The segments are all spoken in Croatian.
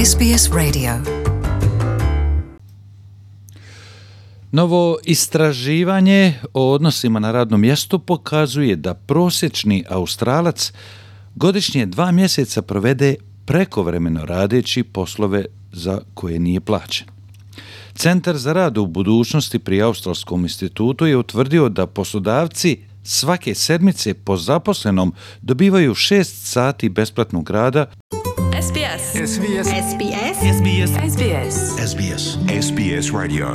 SBS Radio. Novo istraživanje o odnosima na radnom mjestu pokazuje da prosječni Australac godišnje 2 mjeseca provede prekovremeno radeći poslove za koje nije plaćen. Centar za rad u budućnosti pri Australskom institutu je utvrdio da poslodavci svake sedmice po zaposlenom dobivaju 6 sati besplatnog rada. SBS. SBS. SBS. SBS. SBS. SBS. SBS Radio.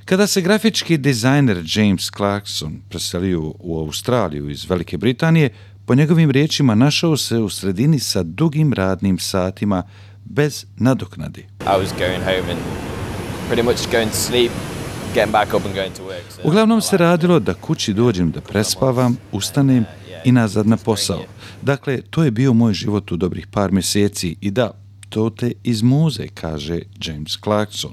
Kada se grafički dizajner James Clarkson preselio u Australiju iz Velike Britanije, po njegovim riječima našao se u sredini sa dugim radnim satima bez nadoknade. I was going home and pretty much going to sleep, getting back up and going to work. So Uglavnom se radilo da kući dođem da prespavam, ustanem i nazad na posao. Dakle, to je bio moj život u dobrih par mjeseci i da, to te izmuze, kaže James Clarkson.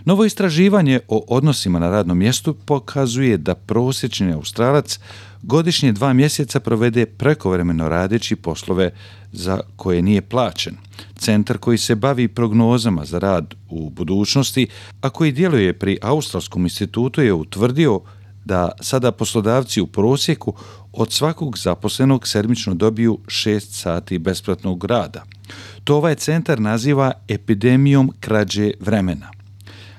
Novo istraživanje o odnosima na radnom mjestu pokazuje da prosječni Australac godišnje 2 mjeseca provede prekovremeno radeći poslove za koje nije plaćen. Centar koji se bavi prognozama za rad u budućnosti, a koji djeluje pri Australskom institutu, je utvrdio da sada poslodavci u prosjeku od svakog zaposlenog sedmično dobiju 6 sati besplatnog rada. To ovaj centar naziva epidemijom krađe vremena.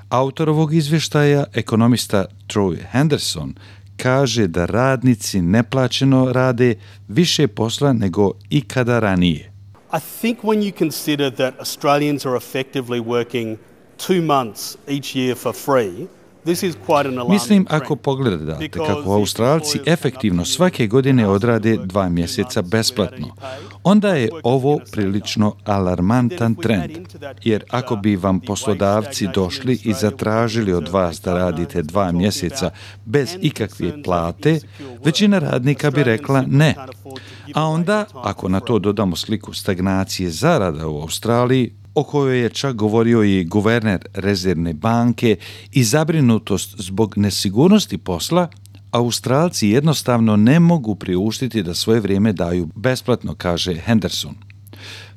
Autor ovog izvještaja, ekonomista Troy Henderson, kaže da radnici neplaćeno rade više posla nego ikada ranije. I think when you consider that Australians are effectively working 2 months each year for free, this is quite an alarming Mislim, trend. ako pogledate kako Australci efektivno svake godine odrade 2 mjeseca besplatno, onda je ovo prilično alarmantan trend. Jer ako bi vam poslodavci došli i zatražili od vas da radite 2 mjeseca bez ikakve plate, većina radnika bi rekla ne. A onda, ako na to dodamo sliku stagnacije zarada u Australiji, o kojoj je čak govorio i guverner Rezervne banke, i zabrinutost zbog nesigurnosti posla, Australci jednostavno ne mogu priuštiti da svoje vrijeme daju besplatno, kaže Henderson.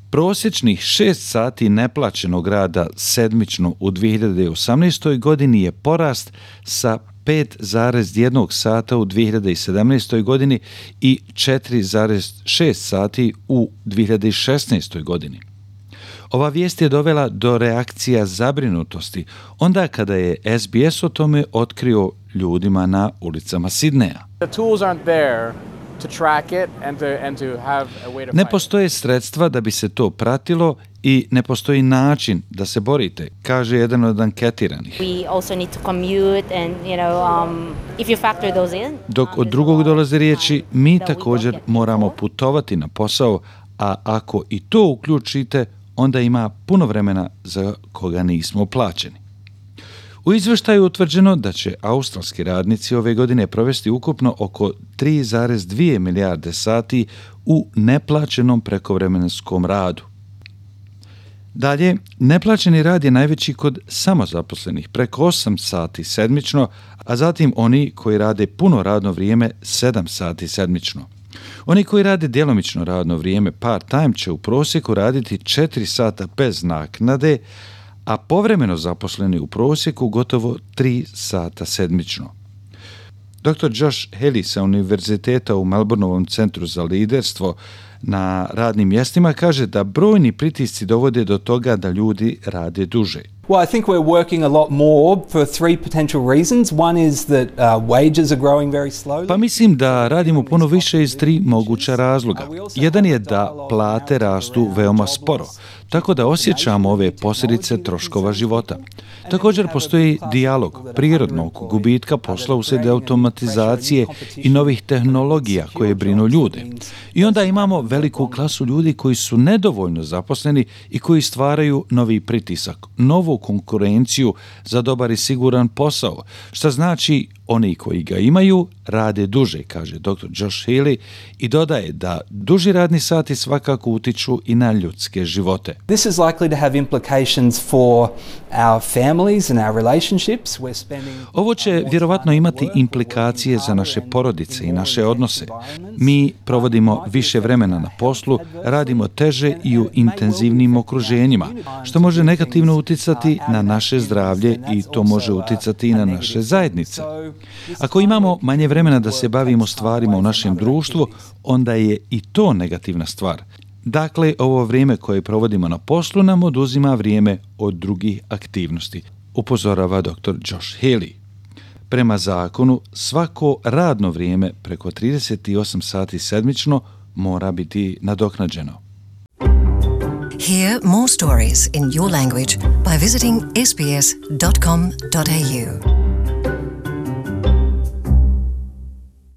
Prosječnih 6 sati neplaćenog rada sedmično u 2018. godini je porast sa 5,1 sata u 2017. godini i 4,6 sati u 2016. godini. Ova vijest je dovela do reakcija zabrinutosti onda kada je SBS o tome otkrio ljudima na ulicama Sidneja. Ne postoje sredstva da bi se to pratilo i ne postoji način da se borite, kaže jedan od anketiranih. Dok od drugog dolaze riječi, mi također moramo putovati na posao, a ako i to uključite, onda ima puno vremena za koga nismo plaćeni. U izvještaju je utvrđeno da će australski radnici ove godine provesti ukupno oko 3,2 milijarde sati u neplaćenom prekovremenskom radu. Dalje, neplaćeni rad je najveći kod samozaposlenih, preko 8 sati sedmično, a zatim oni koji rade puno radno vrijeme 7 sati sedmično. Oni koji rade djelomično radno vrijeme part-time će u prosjeku raditi 4 sata bez naknade, a povremeno zaposleni u prosjeku gotovo 3 sata sedmično. Dr. Josh Haley sa Univerziteta u Melbourneovom centru za liderstvo na radnim mjestima kaže da brojni pritisci dovode do toga da ljudi rade duže. Well, I think we're working a lot more for 3 potential reasons. One is that wages are growing very slowly. Pa mislim da radimo puno više iz 3 moguća razloga. Jedan je da plate rastu veoma sporo, tako da osjećamo ove posljedice troškova života. Također postoji dijalog prirodnog gubitka posla uslijed automatizacije i novih tehnologija koje brinu ljude. I onda imamo veliku klasu ljudi koji su nedovoljno zaposleni i koji stvaraju novi pritisak, novu konkurenciju za dobar i siguran posao, što znači Oni koji ga imaju rade duže, kaže dr. Josh Healy i dodaje da duži radni sati svakako utiču i na ljudske živote. This is likely to have implications for our families and our relationships. Ovo će vjerovatno imati implikacije za naše porodice i naše odnose. Mi provodimo više vremena na poslu, radimo teže i u intenzivnim okruženjima, što može negativno uticati na naše zdravlje i to može uticati i na naše zajednice. Ako imamo manje vremena da se bavimo stvarima u našem društvu, onda je i to negativna stvar. Dakle, ovo vrijeme koje provodimo na poslu nam oduzima vrijeme od drugih aktivnosti, upozorava dr. Josh Healy. Prema zakonu, svako radno vrijeme preko 38 sati sedmično mora biti nadoknađeno. Hear more stories in your language by visiting sbs.com.au.